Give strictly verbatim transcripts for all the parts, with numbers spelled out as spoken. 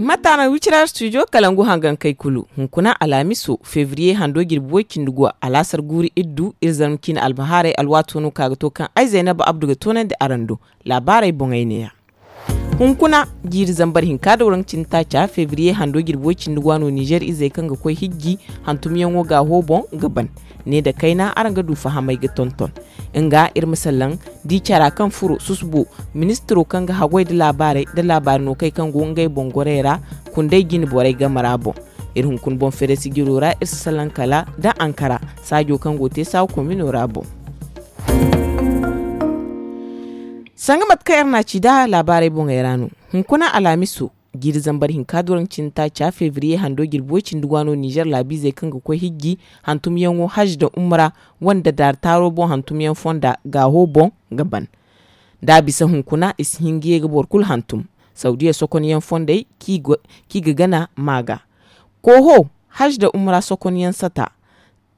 Mataana wicira studio kalangu hangankey kulu. Hunkuna alhamiso febriye hando jirbi way cindi go alaasar guuri iddu iri zarma ciine albahaarey alwaato no ka ga to kaŋ ay zaynaba abdu ga toonandi araŋ do. Laabaarey boŋey neeya. Hunkuna jiiri zambar hinka da waranka cindi taaca febriye hando jirbi way cindi go a no nizer izey kaŋ ga koy hijji hantumyaŋo gaaho boŋ ga ban. Ne nda kayna araŋ ga du fahamey ga tonton. Nga iri ma sallaŋ di cara kaŋ furo susubo ministiro kaŋ ga haggoy nda laabaarey nda laabaari no kay kaŋ go ngey boŋ gorey ra. Kundey jine borey game ra boŋ. Iri hunkuna boŋ feere sijiro ra iri si sallaŋ kala nda ankara saajo kaŋ go te saawa komino ra boŋ. Sanga mate kaŋ iri n'a ci nda laabaarey boŋey ra no. Hunkuna alhamiso jiiri zambar hinka da waranka cindi taaca febriye hando jirbi way cindi go a no nizer laabiizey kaŋ ga koy hijji hantumyaŋo hajj nda umra wande daari taaro boŋ hantumyaŋ fonda gaaho boŋ ga ban. Da a bisa hunkuna i si hin ga ye ga boro kulu hantum. Sawdiya sokonyaŋ fondey kaŋ i ga gana ma ga kooho hajj nda umra sokonyaŋ sata.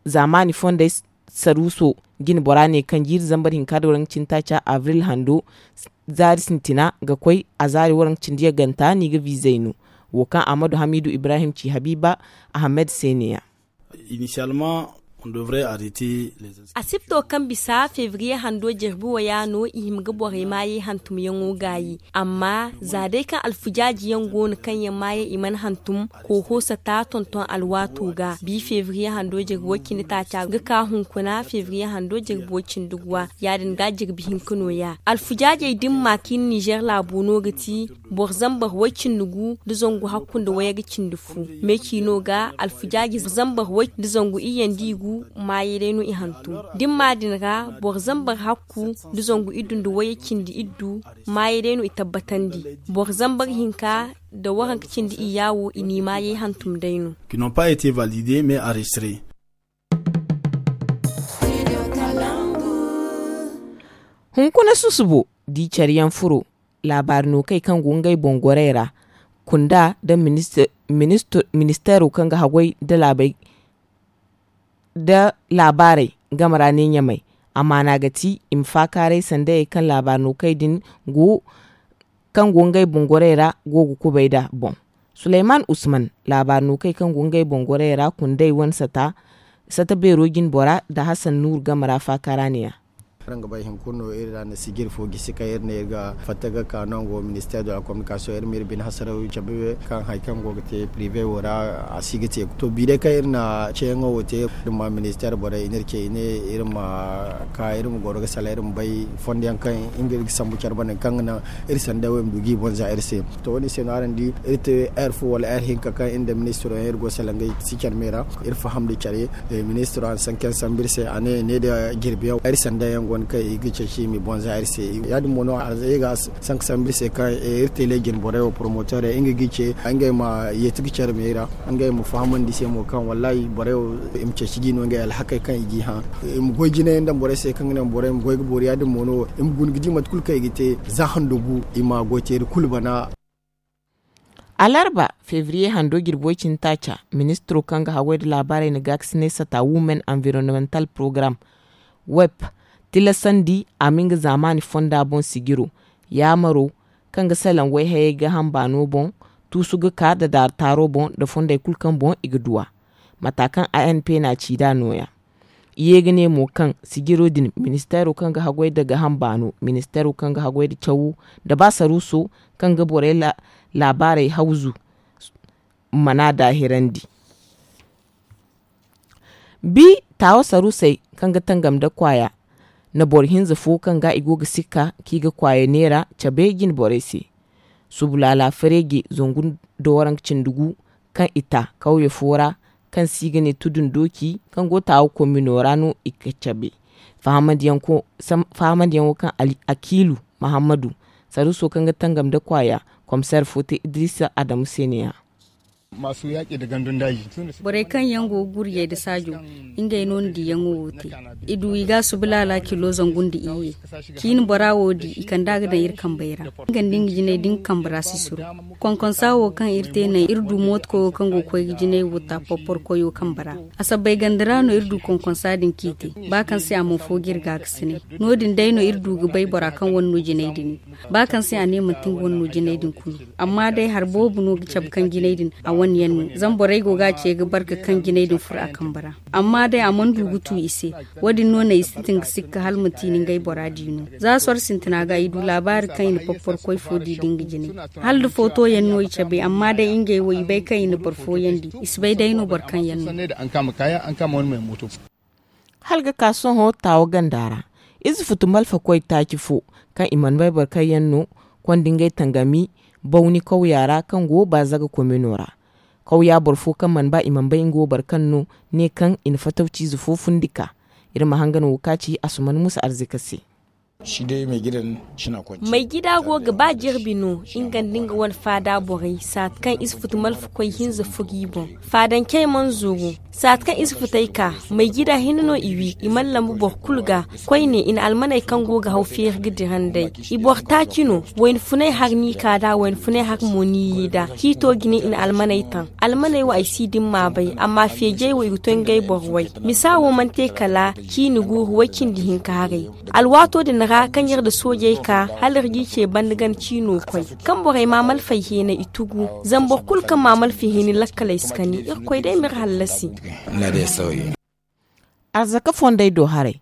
Zaamaani fondey saruuso jine bora ne kaŋ jiiri zambar hinka da waranka cindi taaca abril hando zaari sintina ga koy a zaari waranka cindi yaŋ ganta no i ga viizey no. Wo kaŋ ahmadu hamiidu ibrahim ci habiiba ahamed se neeya. Initialement on devrait arrêter les. Asibto kaŋ bisa febriye hando jirbi waya no i hima ga borey maayey hantumyaŋo gaayi. Amma za day kaŋ alfujaaji yaŋ go no kaŋ yaŋ maayey i mana hantum kooho sata tonton alwaato ga bi febriye hando jirbi way cindi taaca ga ka hunkuna febriye hando jirbi way cindi guwa ya- din ga jirbi hinka nooya alfujaajey dimma kaŋ i na nizer laabo no ga ti boro zambar way cindi gu nda zangu hakku nda wayye ga cindi fu. Me ciino ga alfujaaji zambar way nda zangu iyye nda i gu maayey day no i hantum. Dimma din ra boro zambar hakku nda zangu iddu nda wayye cindi iddu maayey day no i tabbatandi. Boro zambar hinka nda waranka cindi iyya wo i n'i maayey hantum day no. Qui n'ont pas été validés mais enregistrés. Hunkuna susubo di care yaŋ furo laabaari no kay kaŋ go ngey boŋ gorey ra kunda nda ministeero kaŋ ga haggoy nda laabey nda laabaarey game ra ne ɲamay. Amaana ga ti i ma faakaaray sandayey kaŋ laabaari no kay din go kaŋ go ngey boŋ gorey ra go ga kubay nd'a boŋ. Suleyman usman laabaari no kay kaŋ go ngey boŋ gorey ra kundey wane sata beero jine bora nda hasan nuuru game ra faakaara neeya. Araŋ ga bay hunkuna no iri ra na sijir fo gisi kaŋ iri ne iri ga fatta ga ka nango ministeer de la kominikasiyoŋ iri ma iri bine hasaraw cabe kaŋ hari kaŋ go ga te pirive wo ra a si ga te. To bi day kaŋ iri na ceeyaŋo wo te iri ma ministeer borey i n'iri ce i ne iri ma ka iri ma goro ga salaŋ iri ma bay fondo yaŋ kaŋ nga iri ga sambu care banda kaŋ ga naŋ iri sanda wo i ma du ga i boŋ za iri se. To wo- din se no araŋ di iri te heure fo wala heure hinka kaŋ iri nda ministiro yaŋ iri go salaŋ ga i si care me ra. Iri faham nda care ministiro a na sankan sambu iri se a ne ne nda jirbi yaŋ iri sanda yaŋ go no kaŋ i ga ceeci i ma i boŋ za iri se. Ya- din mo no a ga sanka sambu iri se kaŋ iri tele jine borey wo poromoteerey nga ga i ce ngey ma yeeti ga care me ra. Ngey ma fahamandi i se mo kaŋ wallahi borey wo i ma ceeci ga i no ngey alhakey kaŋ i ga i hã. I ma goy jine yaŋ daŋ borey se kaŋ ga naŋ borey ma goy ga boori ya- din mo no i ma guna ga di mate kulu kaŋ i ga te za hando gu i ma goy teeri kulu bana. Alarba febriye hando jirbi way cindi taaca ministiro kaŋ ga haggoy nda laabaarey na gaakasinay sata women environnemental program web tilasandi a ma nga zaamaani fonda boŋ sijiro yaamaro kaŋ ga salaŋ wayhayey gaaham baano boŋ tuusu ga ka nda daari taaro boŋ nda fondey kulu kaŋ boŋ i ga du a. Mata kaŋ anp n'a ci nd'a nooya. I ye ga ne mo kaŋ sijiro din ministeero kaŋ ga haggoy nda gaaham baano ministeero kaŋ ga haggoy nda cawo nda ba saruuso kaŋ ga borey laabaarey hawzu mana daahirandi. Bi taawa saruusey kaŋ ga tangam nda kwaaya na boro hinza fo kaŋ ga i go ga sikka kaŋ i ga kwaaya neera cabe jine borey se. Subu laala fareeje zangu nda waranka cindi gu kaŋ i ta kawye fo ra kaŋ se i ga ne tudun dooci kaŋ go taawa komino ra no i ga cabe. Fahamandiyaŋo kaŋ akiilu mahammadu saruuso kaŋ ga tangam nda kwaaya komiseer fo te idiriisa adamu se neeya. Borey kaŋ yaŋ go ga guriyey nda saajo, ngey no na diyaŋo wo te. I du i ga a suba laala kilo zangu nda iyye. Ciine bora wo di i kand'a ga daŋ iri kambey ra. Nga nda nga jinay da nga kambe ra si suru. Konkonsa wo kaŋ iri te naŋ iri du mootokoyo kaŋ go ga koy ga jinay wo ta porporo koyo kambe ra. A sabbay ganda ra no iri du konkonsa din kaŋ i te. Ba kaŋ se a mana fo ga iri ga ga sine. No- din day no iri du ga bay bora kaŋ wane no jinay din. Ba kaŋ se a ne manti nga wane no jinay din kulu. Amma day hari boobo no ga cabe kaŋ jinay din a wane yaŋ no. Zama borey go ga a ce ga barka kaŋ jinay din furo a kambe ra. Amma day a mana du ga tu i se. Wo- din no naŋ i sintin ga sikka hala manti ni ngey bora di no. Za soro sintina ga i du laabaari kaŋ i na porporo koy fo di da nga jinay. Hala da footo yaŋ no i cabe amma day ngey wo i bay kaŋ i na boro fooyaŋ di. I si bay day no boro kaŋ yaŋ no. Hala ga ka sohõ taawa ganda ra, ize futu malfa koy taaci fo kaŋ i mana bay boro kaŋ yaŋ no, konda ngey tangami bawni kawya ra kaŋ go baazaga komino ra. Kawya boro fo kaŋ mana ba i mana bay nga wo boro kaŋ no, ne kaŋ i na fatawciize fo fundi ka. Iri ma hangan wo ka ci asuman musa arzika se. Maigida go ga ba jirbi no nga nda nga wane faada borey saati kaŋ ize futu malfa koy hinza fo g'i boŋ. Faadancey mana zuru. Saati kaŋ ize futey ka, maigida hinne no i wi i mana lambu boro kulu ga. Koyne i na almaney kaŋ go ga haw feeri ga dira nd'ey. I boro taaci no. Wayna funay hari n'i ka nd'a wayna funay hari mo n'i yi nd'a ciito jine i na almaney taŋ. Almaney wo ay si din m'a bay amma feejey wo i ga to ngey boro way. Misa wo mana te kala ciine guuru way cindi hinka haray. Alwaato din ra kaŋ iri nda soojey ka hala iri g'i ce banda gana ciino koy. Kaŋ borey ma malfey heenay i tugu. Zama boro kulu kaŋ ma malfey heenay lakkaley si kani irkoy day m'iri hallasi. Arzaka fondey do haray.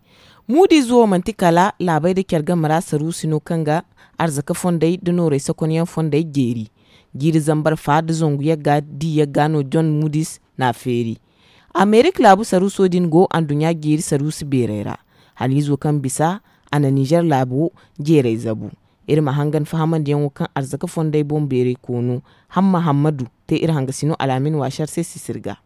Muudi ize wo manti kala laabey nda care game ra saruusi no kaŋ ga arzaka fondey nda noorey sakonyaŋ fondey jeeri. Jiiri zambar fa nda zangu yagga di yagga no john muudis n'a feeri. Amerik laabu saruuso din go anduɲɲa jeeri saruusi beerey ra. Haniizo kaŋ bisa a na nizer laabo jeerey zabu. Iri ma hangan fahamandiyaŋo kaŋ arzaka fondey boŋ beeray koono hamma hammadu te iri hangasino alaamin waasar se sisir ga.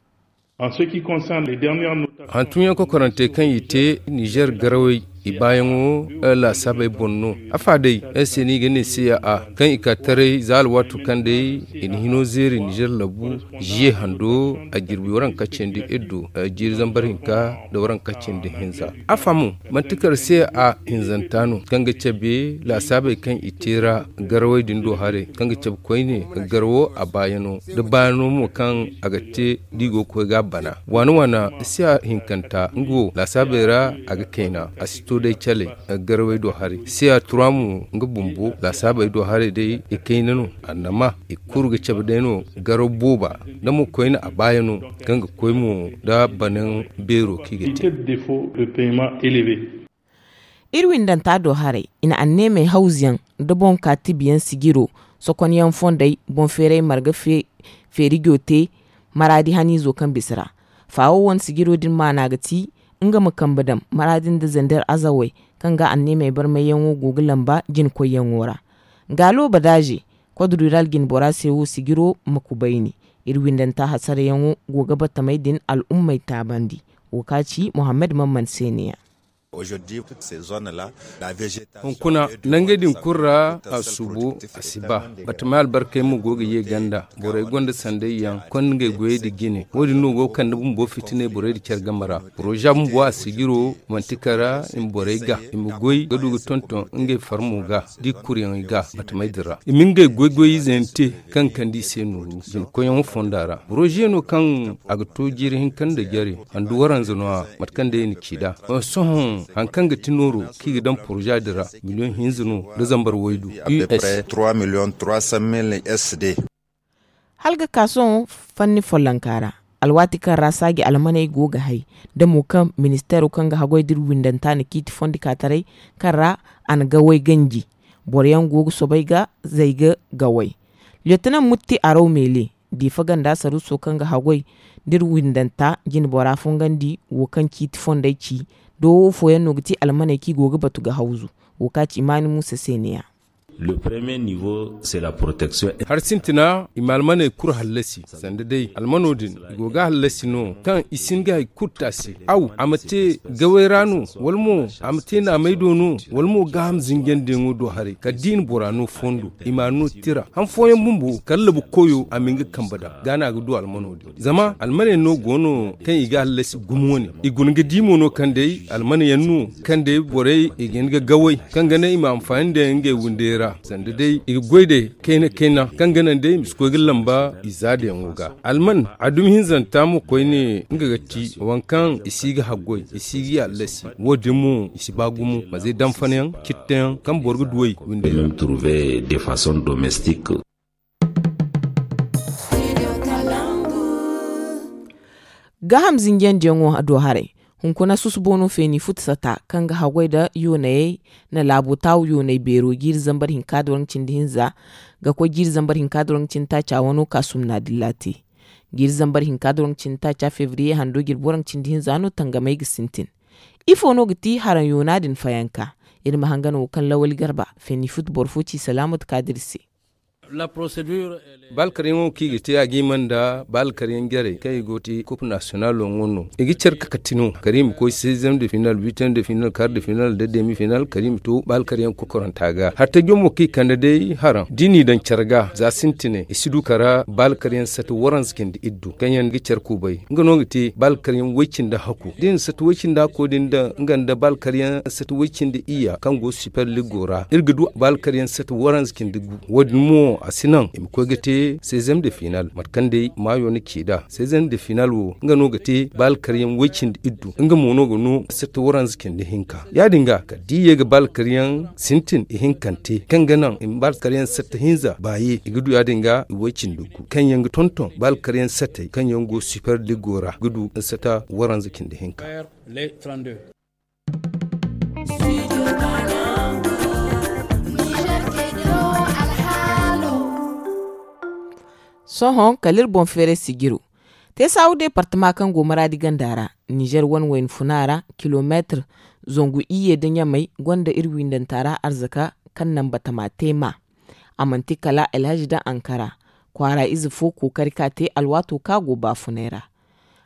Hantumyaŋ kokorantey kaŋ i te nizer garawey i baayaŋo laasaabey boŋ no. Afa day ay se no i ga ne se ya a kaŋ i ka taray za alwaato kaŋ day i na hino zeeri nizer labu ziye hando a jirbi waranka cindi iddu jiiri zambar hinka nda waranka cindi hinza. Afa mo manti kar se a hinzanta no kaŋ ga cabe laasaabey kaŋ i te ra garawey din do haray kaŋ ga cabe koyne garawo a baayano da baayano mo kaŋ a ga te da i go ga koy ga a bana waana waana. Siya hinkanta nga wo laasaabey ra a ga kayna a si to day caley garawey do haray. Siya tura mo nga bumbo laasaabey do haray day i kayna no annama i kulu ga cabe day no garaw booba da mo koyne a baayano kaŋ ga koy mo da banaŋ beero kaŋ i ga te. Iri windanta do haray i na anneemey hawzuyaŋ nda boŋ ka tibiyaŋ sijiro sokonyaŋ fondey boŋ feeray marga feerijo te maraadi haniizo kaŋ bisa ra. Faawo wane sijiro din maana ga ti nga ma kambe daŋ maraadi nda zander azawey kaŋ ga anneemey barmayyaŋo go ga lamba jinakoyyaŋo ra. Gaalo badaaze kodrural jinbora se wo sijiro ma kubayni. Iri windanta hasarayaŋo go ga batamey din al'ummey taabandi. Wo ka ci muhammad mamman se ne ya. Hunkuna nangey din kulu ra a suubo a si ba. Batamey albarkey mo go ga ye ganda borey gonda sandayyaŋ konda ngey goyey nda jine wo- din no go ga kande bumbo fitiney borey nda care game ra. Poroza bumbo a sijiro manti kara i ma borey ga i ma goy ga du ga tonton ngey farmo ga da i kuryaŋey ga batamey din ra i ma ngey goy goy ize yaŋ te kaŋ ga kande i se nooru jinkoyyaŋo fonda ra. Poroze no kaŋ a ga to jiiri hinka nda jare handu waranza no- ya mate kaŋ day i na ci nd'a. Sohõ hari kaŋ ga ti nooro kaŋ i ga daŋ poroza din ra miliyoŋ hinza no nda zambar waydu. Us. Hala ga ka sohõ fanni follonka ra alwaati kaŋ ra saaji almaney go ga hay da mo kaŋ ministeero kaŋ ga haggoy da iri windanta na ciiti fondi ka taray kaŋ ra a na gawey ganji. Boro yaŋ go ga soobay ga zay ga gawey. Liyotonan mutti araw meele diifa ganda saruuso kaŋ ga haggoy da iri windanta jinbora fongandi wo kaŋ ciiti fondey ci. Doowo fooyaŋ no ga ti almaney kaŋ i go ga batu ga hawzu. Wo ka ci imaani muusa se ne- ya. Le premier niveau, c'est la protection. Hari sintina i ma almaney kulu hallasi. Sanda day almano din i go ga hallasi no kaŋ i si hin ga hari kulu te a se. Aw a ma te gawey ra no, wala mo a ma te naamey do no, wala mo gaaham zinjandiyaŋo do haray kala da i na bora no fondo, i ma a no tira han fooyaŋ bumbo kala labu koyo a ma hin ga kambe daŋ. Ga no a ga du almano din zama almaney no go no kaŋ i ga hallasi gumo wane. I guna ga di mo no kaŋ day almana yaŋ no kaŋ day borey i ga hin ga gawey kaŋ ga naŋ i ma anfaani nda ngey windey ra. Sanda day i ga goy day kayna kayna kaŋ ga naŋ day i ma si koy ga lamba i zaadayaŋo ga. Alman a dumi hinzanta mo koyne nga ga ti waŋ kaŋ i si ga haggoy, i si ga yaallasi. Wo- din mo i si ba gumo mazey danfanayaŋ cittayaŋ kaŋ boro ga duwey windey ra. Gaaham zinjandiyaŋo do haray. Hunkuna susubo no feeni futu sata kaŋ ga haggoy nda yoonayey na laabo taawu yoonay beero jiiri zambar hinka da waranka cindi hinza ga koy jiiri zambar hinka da waranka cindi taaca wano kaasum na dilla te. Jiiri zambar hinka da waranka cindi taaca febriye hando jirbi waranka cindi hinza no tangamey ga sintin. Ifo no ga ti haraŋ yoona din fayanka? Iri ma hangan wo kaŋ lawali garba feeni futu boro fo ci salaamatu kaadir se. Baala karyaŋo kaŋ i ga te a ga hima nda baala karyaŋ jarey kaŋ i go ga te kop nasiyonalo ŋwa no. I ga care kakati no kala i ma koy seizième de final huitième de final kar de final nda demi final kala i ma to baala karyaŋ kokoranta ga hari tajjo mo kaŋ i kande day haraŋ da i n'i daŋ care ga za sintinay i si du kala baala karyaŋ sata waranza cindi iddu kaŋ yaŋ ga care kubay. Nga no ga te baala karyaŋ way- cindi hakku da i na sata way- cindi hakko din daŋ nga nda baala karyaŋ sata way- cindi iyya kaŋ go super liggo ra iri ga du baala karyaŋ sata waranza cindi gu. Wo- din mo a si naŋ i ma koy ga te seizième de final mate kaŋ day maayo na ci nd'a seizième de final wo nga no ga te baala karyaŋ way- cindi iddu nga mo no ga no sata waranza cindi hinka. Ya- din ga kala da i ye ga baala karyaŋ sintin ihinkante kaŋ ga naŋ i ma baala karyaŋ sata hinza baaye i ga du ya- din ga i way- cindi gu kaŋ yaŋ ga tonton baala karyaŋ satey kaŋ yaŋ go super liggo ra ga du sata waranza cindi hinka. Sohõ kala iri boŋ feeray sijiro te saawu deepartama kaŋ go maraadi ganda ra nizer wane wayna funa ra kilomeetir zangu iyye nda ɲamay gonda iri windanta ra arzaka kaŋ naŋ batama te ma. A manti kala alhazi daŋ ankara kwaara ize fo kookari ka te alwaato kaŋ a go baafunay ra.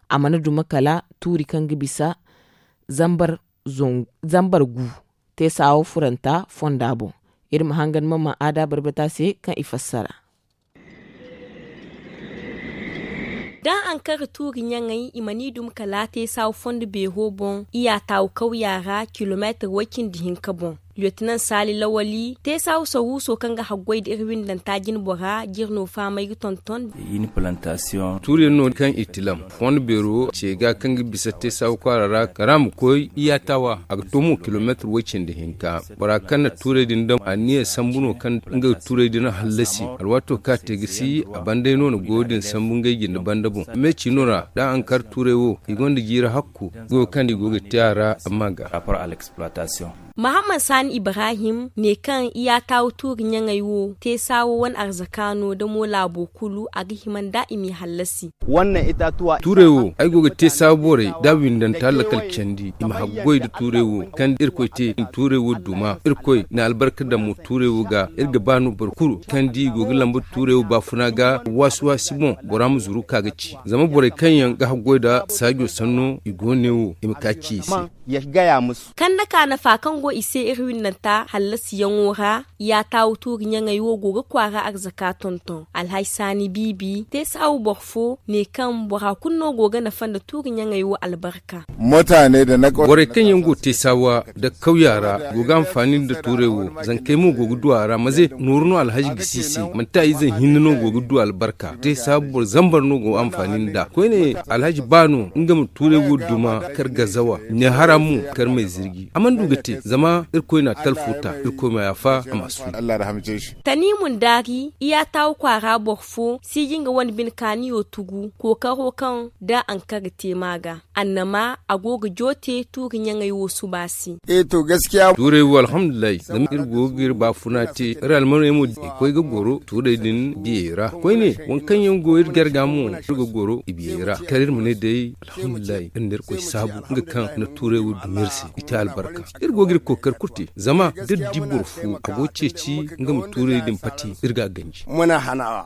A mana duma kala tuuri kaŋ ga bisa zambar gu te saawo furanta fonda boŋ. Iri ma hangan mama aada barbata se kaŋ i fassara. Da ankara tuuri ɲaŋey i mana i duma kala te saawo fondo beero boŋ iyya taawu kawya ra kilomeetir way- cindi hinka boŋ. Liyotinan saali lawali te saawu saruuso kaŋ ga haggoy nda iri windanta jine bora jire no fahamay ga tonton. Tuuri yaŋ no kaŋ i tilam fondo beero ce ga kaŋ ga bisa te saawu kwaara ra kala a ma koy iyya taawa a ga to mo kilomeetir way- cindi hinka. Bora kaŋ na tuurey din daŋ a niya sambu no kaŋ nga ga tuurey din hallasi alwaato kaŋ a te ga si a banday no na goyo din sambu ngey jinde banda boŋ. Meeci no ra da ankara tuurey wo i gonda jiiri hakku goyo kaŋ i go ga te a ra amma ga. Mahamman saani ibrahim ne kaŋ iyatawa tuuri ɲaŋey wo te saawo wane arzaka no da mo laabo kulu a ga hima nda i m'i hallasi. Tuurey wo ay go ga te saabu borey da windanta lakkal candi i ma haggoy nda tuurey wo kaŋ da irkoy te i na tuurey wo duma irkoy na albarka daŋ mo tuurey wo ga iri ga ba no boro kulu kaŋ da i go ga lamba tuurey wo baafuna ga waasi waasi boŋ bora ma zuru ka ga ci zama borey kaŋ yaŋ ga haggoy nda saajo sanno i go ne wo i ma ka ci i se. Kanda ka nafa kaŋ go i se iri winnanta hallasiyaŋo ra ya taawu tuuri ɲaŋey wo go ga kwaara arzaka tonton alhaji saani biibi te saawu boro fo ne kaŋ bora kulu no go ga nafa nda tuuri ɲaŋey wo albarka. Borey kaŋ yaŋ go te saawa nda kawya ra go ga anfaani nda tuurey wo zankey mo go ga du a ra maze nooru no alhaji ga si i se manti a ize hinne no go ga du albarka te saabu boro zambar no go ga anfaani nda koyne alhaji ba no nga ma tuurey wo duma kar gazawa ne hara mo kar may zirji a mana du ga te zama irkoy na talfo ta irkoy ma yaafa a ma suuji. Taniimu ndaari iyatawa kwaara boro fo siiji nga wane bine kaaniyo tugu kookaro kaŋ da ankara te ma ga annama a go ga joote tuuri ɲaŋey wo suba se. Tuurey wo alhamdulillahi zama iri go ga iri baafuna te iri almaney mo i koy ga goro tuurey din biyey ra koyne waŋ kaŋ yaŋ go iri jarga mo iri ga goro i biyey ra kala iri ma ne day alhamdulillahi iri na irkoy saabu nga kaŋ na tuurey wo duma iri se i te albarka. Iri go ga iri kookari kulu te. Zama da iri di boro fo a go ga ceeci nga ma tuurey din pati, iri ga a ganji.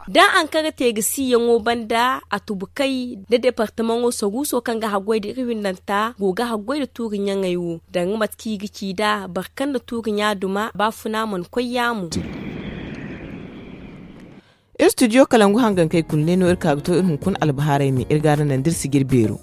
Da ankara te ga si yaŋo banda a tubukey da departamaŋo saruuso kaŋ ga haggoy da iri windanta go ga haggoy da tuuri ɲaŋey wo, danga mate kaŋ i ga ci nd'a boro kaŋ na tuuri ɲa duma baafuna mana koy yaamo. Iri studio kalangu hangankey kulu ne no iri ka ga to iri hunkuna albahaarey me iri ga araŋ naŋ da iri si ga iri beero.